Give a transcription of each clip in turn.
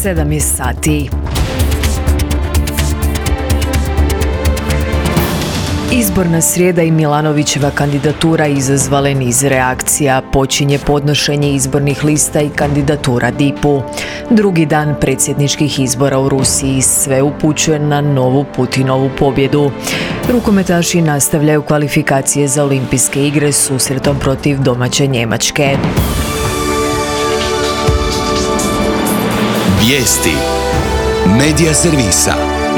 7 je sati. Izborna srijeda i Milanovićeva kandidatura izazvale niz reakcija. Počinje podnošenje izbornih lista i kandidatura DIP-u. Drugi dan predsjedničkih izbora u Rusiji, sve upućuje na novu Putinovu pobjedu. Rukometaši nastavljaju kvalifikacije za olimpijske igre susretom protiv domaće Njemačke. Vijesti Medija servisa.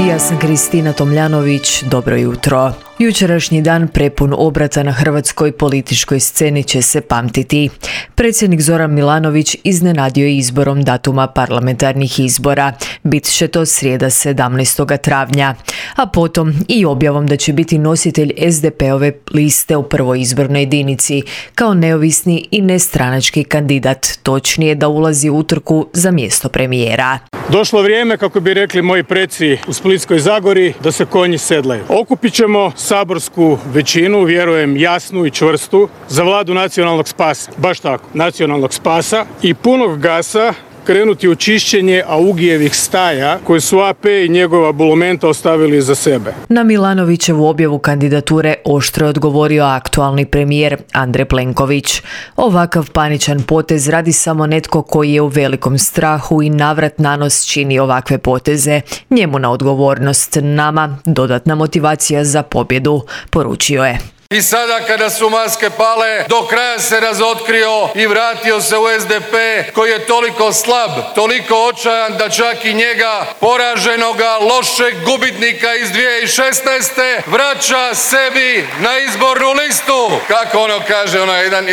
Ja sam Kristina Tomljanović, dobro jutro. Jučerašnji dan prepun obrata na hrvatskoj političkoj sceni će se pamtiti. Predsjednik Zoran Milanović iznenadio je izborom datuma parlamentarnih izbora. Bit će to srijeda 17. travnja. A potom i objavom da će biti nositelj SDP-ove liste u prvoj izbornoj jedinici, kao neovisni i nestranački kandidat, točnije da ulazi u utrku za mjesto premijera. Došlo vrijeme, kako bi rekli moji preci u Splitskoj Zagori, da se konji sedlaju. Okupit ćemo saborsku većinu, vjerujem jasnu i čvrstu, za vladu nacionalnog spasa. Baš tako, nacionalnog spasa i punog gasa krenuti u čišćenje Augijevih staja koje su AP i njegova bulumenta ostavili za sebe. Na Milanovićevu objavu kandidature oštro je odgovorio aktualni premijer Andrej Plenković. Ovakav paničan potez radi samo netko koji je u velikom strahu i navrat nanos čini ovakve poteze. Njemu na odgovornost, nama dodatna motivacija za pobjedu, poručio je. I sada kada su maske pale, do kraja se razotkrio i vratio se u SDP koji je toliko slab, toliko očajan da čak i njega, poraženoga, lošeg gubitnika iz 2016. vraća sebi na izbornu listu. Kako ono kaže,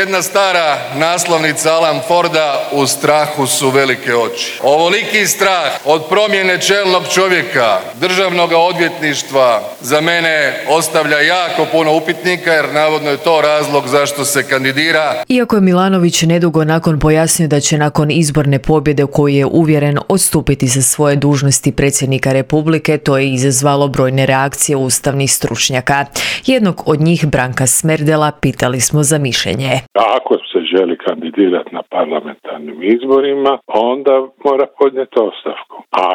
jedna stara naslovnica Alan Forda, u strahu su velike oči. Ovoliki strah od promjene čelnog čovjeka, državnog odvjetništva, za mene ostavlja jako puno upitnika, jer navodno je to razlog zašto se kandidira. Iako je Milanović nedugo nakon pojasnio da će nakon izborne pobjede u koju je uvjeren odstupiti sa svoje dužnosti predsjednika Republike, to je izazvalo brojne reakcije ustavnih stručnjaka. Jednog od njih, Branka Smerdela, pitali smo za mišljenje. Ako se želi kandidirati na parlamentarnim izborima, onda mora podnijeti ostavku. A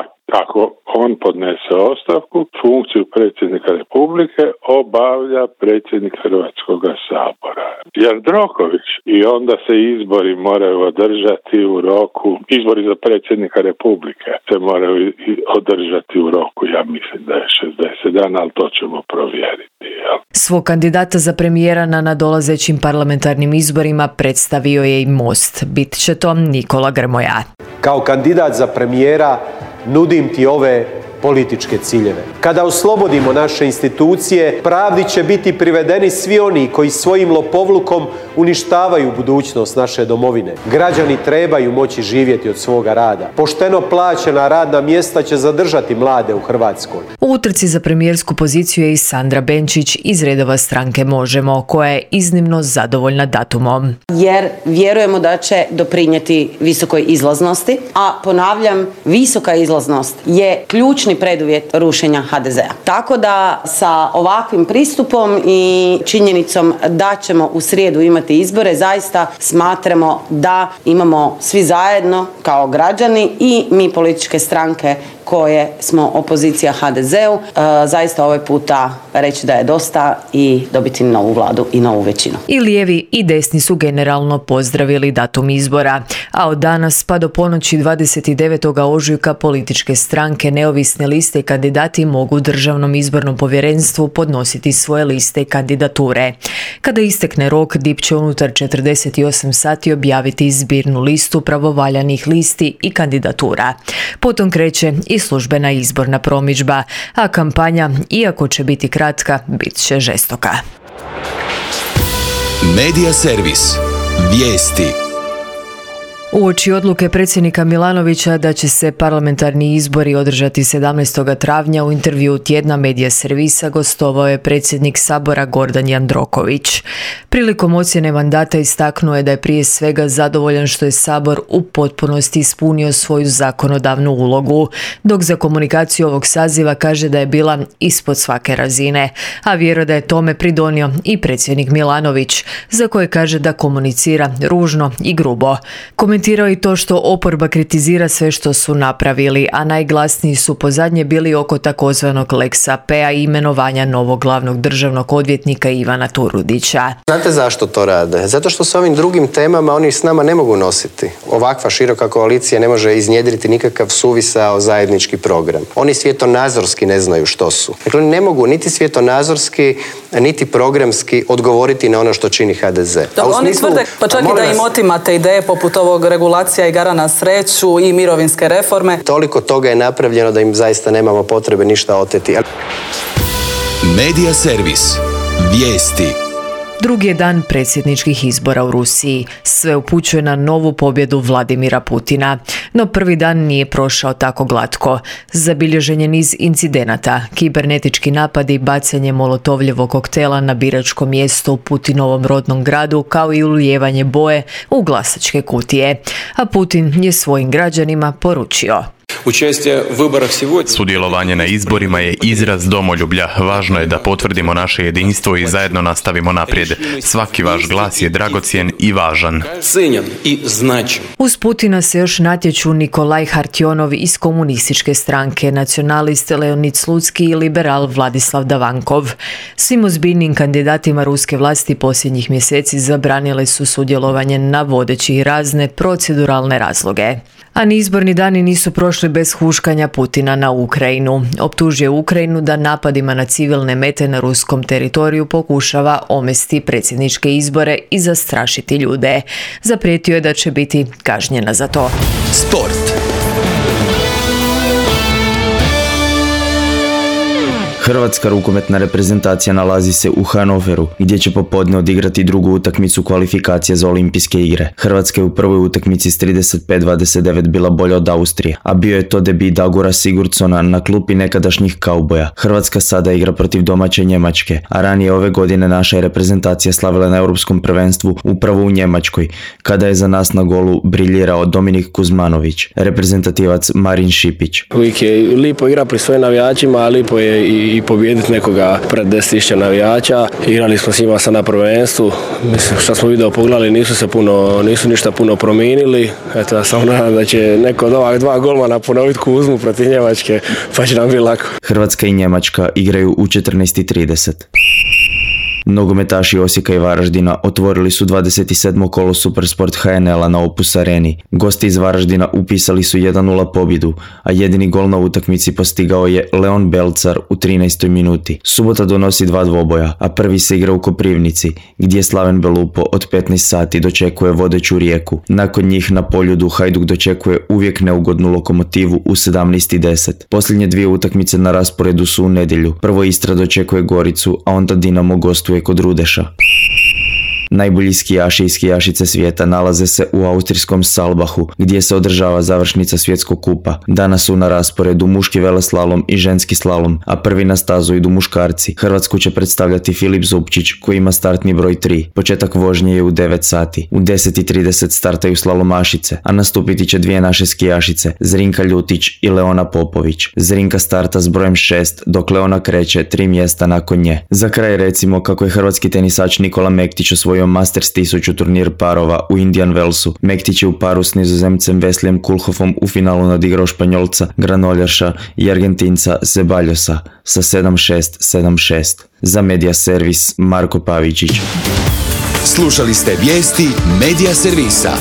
ako on podnese ostavku, funkciju predsjednika Republike obavlja predsjednik Hrvatskog sabora Jandroković, i onda se izbori moraju održati u roku, izbori za predsjednika Republike se moraju održati u roku, ja mislim da je 60 dana, ali to ćemo provjeriti. Svog kandidata za premijera na nadolazećim parlamentarnim izborima predstavio je i Most. Bit će to Nikola Grmoja. Kao kandidat za premijera nudim ti ove političke ciljeve. Kada oslobodimo naše institucije, pravdi će biti privedeni svi oni koji svojim lopovlukom uništavaju budućnost naše domovine. Građani trebaju moći živjeti od svoga rada. Pošteno plaćena radna mjesta će zadržati mlade u Hrvatskoj. U utrci za premijersku poziciju je i Sandra Benčić iz redova stranke Možemo, koja je iznimno zadovoljna datumom. Jer vjerujemo da će doprinijeti visokoj izlaznosti, a ponavljam, visoka izlaznost je ključni preduvjet rušenja HDZ-a. Tako da sa ovakvim pristupom i činjenicom da ćemo u srijedu imati izbore, zaista smatramo da imamo svi zajedno kao građani i mi političke stranke koje smo opozicija HDZ-u, zaista ovaj puta reći da je dosta i dobiti novu vladu i novu većinu. I lijevi i desni su generalno pozdravili datum izbora, a od danas pa do ponoći 29. ožujka političke stranke, neovisne liste i kandidati mogu Državnom izbornom povjerenstvu podnositi svoje liste i kandidature. Kada istekne rok, DIP će unutar 48 sati objaviti zbirnu listu pravovaljanih listi i kandidatura. Potom kreće i službena izborna promidžba, a kampanja, iako će biti kratka, bit će žestoka. Medija servis. Vijesti. Uoči odluke predsjednika Milanovića da će se parlamentarni izbori održati 17. travnja, u intervju tjedna Medija servisa gostovao je predsjednik Sabora Gordan Jandroković. Prilikom ocjene mandata istaknuo je da je prije svega zadovoljan što je Sabor u potpunosti ispunio svoju zakonodavnu ulogu, dok za komunikaciju ovog saziva kaže da je bila ispod svake razine, a vjeruje da je tome pridonio i predsjednik Milanović, za koje kaže da komunicira ružno i grubo. Komentirao je i to što oporba kritizira sve što su napravili, a najglasniji su pozadnje bili oko takozvanog Lex AP-a i imenovanja novog glavnog državnog odvjetnika Ivana Turudića. Znate zašto to rade? Zato što s ovim drugim temama oni s nama ne mogu nositi. Ovakva široka koalicija ne može iznjedriti nikakav suvisao zajednički program. Oni svjetonazorski ne znaju što su. Dakle, oni ne mogu niti svjetonazorski, niti programski odgovoriti na ono što čini HDZ. Oni tvrde, pa čak i da im otimate ideje poput ovog regulacija igara na sreću i mirovinske reforme. Toliko toga je napravljeno da im zaista nemamo potrebe ništa oteti. Medija servis. Vijesti. Drugi je dan predsjedničkih izbora u Rusiji. Sve upućuje na novu pobjedu Vladimira Putina. No prvi dan nije prošao tako glatko. Zabilježen je niz incidenata, kibernetički napadi, bacanje molotovljevog koktela na biračko mjesto u Putinovom rodnom gradu, kao i ulijevanje boje u glasačke kutije. A Putin je svojim građanima poručio: sudjelovanje na izborima je izraz domoljublja. Važno je da potvrdimo naše jedinstvo i zajedno nastavimo naprijed. Svaki vaš glas je dragocjen i važan. Uz Putina se još natječu Nikolaj Hartionov iz komunističke stranke, nacionalist Leonid Slutski i liberal Vladislav Davankov. Svim ozbiljnim kandidatima ruske vlasti posljednjih mjeseci zabranile su sudjelovanje na vodeći razne proceduralne razloge. A ni izborni dani nisu prošli bez huškanja Putina na Ukrajinu. Optužio Ukrajinu da napadima na civilne mete na ruskom teritoriju pokušava omesti predsjedničke izbore i zastrašiti ljude. Zaprijetio je da će biti kažnjena za to. Sport. Hrvatska rukometna reprezentacija nalazi se u Hanoveru, gdje će popodne odigrati drugu utakmicu kvalifikacije za olimpijske igre. Hrvatska je u prvoj utakmici s 35-29 bila bolja od Austrije, a bio je to debut Dagora Sigurdsona na klupi nekadašnjih kauboja. Hrvatska sada igra protiv domaće Njemačke, a ranije ove godine naša je reprezentacija slavila na europskom prvenstvu upravo u Njemačkoj, kada je za nas na golu briljirao Dominik Kuzmanović, reprezentativac Marin Šipić. Uvijek je lipo igra pri svojim navijačima, a lipo je i pobijediti nekoga pred 10.000 navijača. Igrali smo s njima sad na prvenstvu. Mislim, što smo video pogledali, nisu ništa puno promijenili. Eto, ja samo nadam da će neko od ovak dva golmana ponoviti Kuzmu protiv Njemačke, pa će nam biti lako. Hrvatska i Njemačka igraju u 14:30. Nogometaši Osijeka i Varaždina otvorili su 27. kolo Supersport HNL-a na Opus Areni. Gosti iz Varaždina upisali su 1:0 pobjedu, a jedini gol na utakmici postigao je Leon Belcar u 13. minuti. Subota donosi 2 dvoboja, a prvi se igra u Koprivnici, gdje Slaven Belupo od 15 sati dočekuje vodeću Rijeku. Nakon njih na Poljudu Hajduk dočekuje uvijek neugodnu Lokomotivu u 17:10. Posljednje 2 utakmice na rasporedu su u nedjelju. Prvo Istra dočekuje Goricu, a onda Dinamo gostuje kod Rudeša. Najbolji skijaši i skijašice svijeta nalaze se u austrijskom Salbahu, gdje se održava završnica svjetskog kupa. Danas su na rasporedu muški veleslalom i ženski slalom, a prvi na stazu idu muškarci. Hrvatsku će predstavljati Filip Zupčić, koji ima startni broj 3. Početak vožnje je u 9 sati. U 10:30 startaju slalomašice, a nastupiti će 2 naše skijašice, Zrinka Ljutić i Leona Popović. Zrinka starta s brojem 6, dok Leona kreće 3 mjesta nakon nje. Za kraj recimo kako je hrvatski tenisač Nikola Mektić osvojio Masters 1000 turnir parova u Indian Wellsu. Mektić je u paru s Nizozemcem Veslijem Kulhofom u finalu nadigrao Španjolca Granoljaša i Argentinca Zeballosa sa 7-6, 7-6. Za Medija servis Marko Pavičić. Slušali ste vijesti Medija servisa.